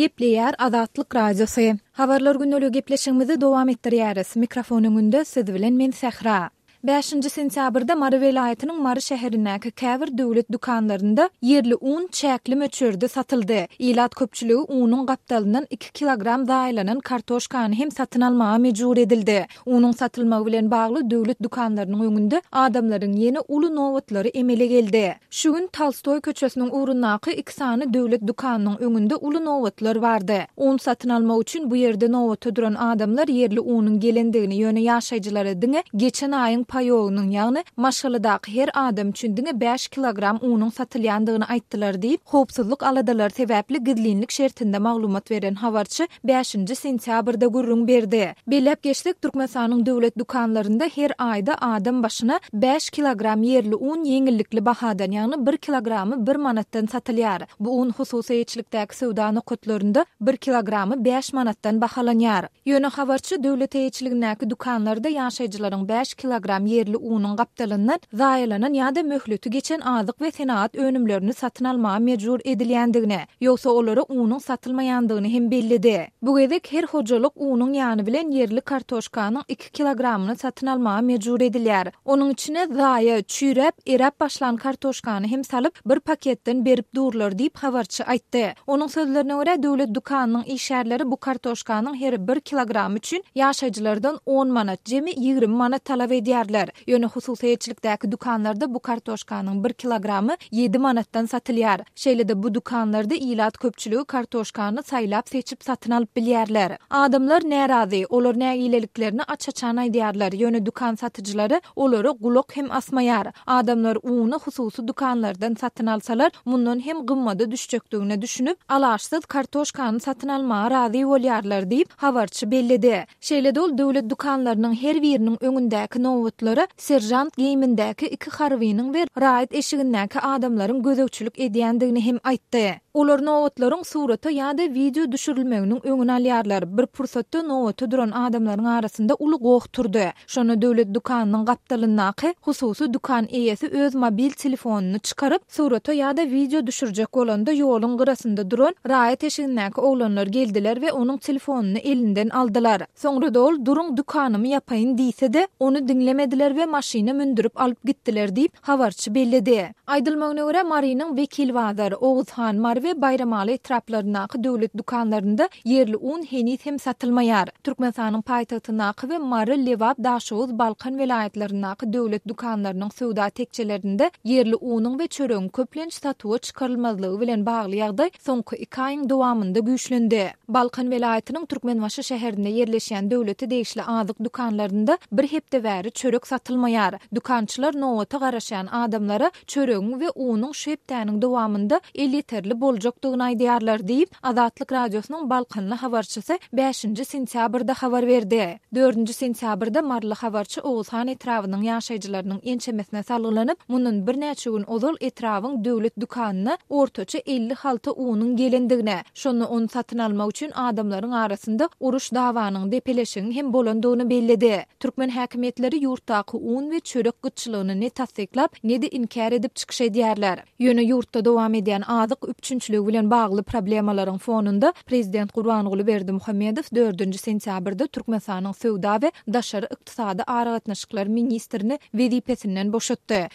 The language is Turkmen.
Gepleýär Azatlyk Radiosy. Habarlar gündeligi gepleşigimizi dowam etdirýäris. Mikrofon öňünde siz bilen men Sähra. Bäşinji sentýabrda Mary welaýatynyň Mary şäherindäki käbir döwlet dükanlarynda ýerli un çäkli möçberde satyldy. Ilat köpçüligi unuň gapdalyndan iki kilogram zaýalanan kartoşkany hem satyn almaga mejbur edildi. Unuň satylmagy bilen bagly döwlet dükanlarynyň öňünde adamlaryň ýene uly nobatlary emele geldi. Şu gün Tolstoý köçesiniň ugrundaky iki sany döwlet dükanynyň öňünde uly nobatlar bardy. Un satyn almak üçin bu ýerde nobata duran adamlar ýerli unuň gelendigini, ýöne ýaşaýjylara diňe geçen aýyň paýogynyň, ýagny maşgaladaky her adam üçin diňe bäş kilogram unuň satylýandygyny aýtdylar diýip, howpsuzlyk aladalary sebäpli gizlinlik şertinde maglumat beren habarçy bäşinji sentýabrda gürrüň berdi. Belläp geçsek, Türkmenistanyň döwlet dükanlarynda her aýda adam başyna bäş kilogram ýerli un ýeňillikli bahadan, ýagny bir kilogramy bir manatdan satylýar. Bu un hususy eýeçilikdäki söwda nokatlarynda bir kilogramy bäş manatdan bahalanýar. Ýöne habarçy döwlet eýeçiligindäki dükanlarda ýaşaýjylaryň bäş kilogram ýerli unuň gapdalyndan zaýalanan ýa-da möhleti geçen azyk we senagat önümlerini satyn almaga mejbur edilýändigini, ýogsa olara unuň satylmaýandygyny hem belledi. Bu gezek her hojalyk unuň ýany bilen ýerli kartoşkanyň iki kilogramyny satyn almaga mejbur edilýär. Onuň içine zaýa, çüýräp, eräp başlan kartoşkany hem salyp, bir paketden berip durlar diýip, habarçy aýtdy. Onuň sözlerine görä, döwlet dükanynyň işgärleri bu kartoşkanyň her bir kilogramy üçin ýaşaýjylardan on manat, jemi 20 manat talap edýärler. Ýöne hususy eýeçilikdäki dükanlarda bu kartoşkanyň bir kilogramy ýedi manatdan satylýar. Şeýle-de bu dükanlarda ilat köpçüligi kartoşkany saýlap-seçip satyn alyp bilýärler. Adamlar närazy, olar nägileliklerini aç-açan aýdýarlar, ýöne dükan satyjylary olara gulak hem asmaýar. Adamlar uny hususy dükanlardan satyn alsalar, mundan hem gymmada düşjekdigine düşünip, alaçsyz kartoşkany satyn almaga razy bolýarlar diýip, habarçy belledi. Şeýle-de ol döwlet dükanlarynyň her biriniň öňündäki nobatlara seržant geýimindäki iki harbynyň we raýat eşigindäki adamlaryň gözegçilik edýändigini hem aýtdy. Olar nobatlaryň surata ýa-da wideo düşürilmeginiň öňüni alýarlar. Bir pursatda nobata duran adamlaryň arasynda uly goh turdy. Şonda döwlet dükanynyň gapdalyndaky hususy dükan eýesi öz mobil telefonyny çykaryp, surata ýa-da wideo düşürjek bolanda ýoluň gyrasynda duran raýat eşigindäki oglanlar geldiler we onuň telefonyny elinden aldylar. Soňra-da ol duruň dükanymy ýapaýyn diýse-de, ony diňlemediler we maşyna mündürip alyp gitdiler diýip, habarçy belledi. Aýdylmagyna görä, Marynyň Wekilbazar, Oguzhan, Mary we Baýramaly etraplaryndaky döwlet dükanlarynda ýerli un heniz hem satylmaýar. Türkmenistanyň paýtagtyndaky we Mary, Lebap, Daşoguz, Balkan welaýatlaryndaky döwlet dükanlarynyň söwda tekjelerinde ýerli unuň we çöregiň köplenç satuwa çykarylmazlygy bilen bagly ýagdaý soňky iki aýyň dowamynda güýçlendi. Balkan welaýatynyň Türkmenbaşy şäherinde ýerleşýän döwlete degişli azyk dükanlarynda bir hepde bäri çörek satylmaýar. Dükançylar nobata garaşýan adamlara çöregiň we unuň şu hepdäniň dowamynda elýeterli boljakdygyny aýdýarlar diýip, Azatlyk Radiosynyň balkanly habarçysy bäşinji sentýabrda habar berdi. Dördünji sentýabrda maryly habarçy Oguzhan etrabynyň ýaşaýjylarynyň ençemesine salgylanyp, mundan birnäçe gün ozal etrabyň döwlet dükanyna ortaça 50 halta unuň gelendigini, şonda ony satyn almak üçin adamlaryň arasynda uruş-dawanyň, depeleşigiň hem bolandygyny belledi. Türkmen häkimiýetleri ýurtdaky un we çörek gytçylygyny ne tassyklap, ne-de inkär edip çykyş edýärler. Ýöne ýurtda dowam edýän azyk üpjünçiligi bilen bagly problemalaryň fonunda, prezident Gurbanguly Berdimuhamedow dördünji sentýabrda Türkmenistanyň söwda we daşary ykdysady aragatnaşyklar ministrini wezipesinden boşatdy.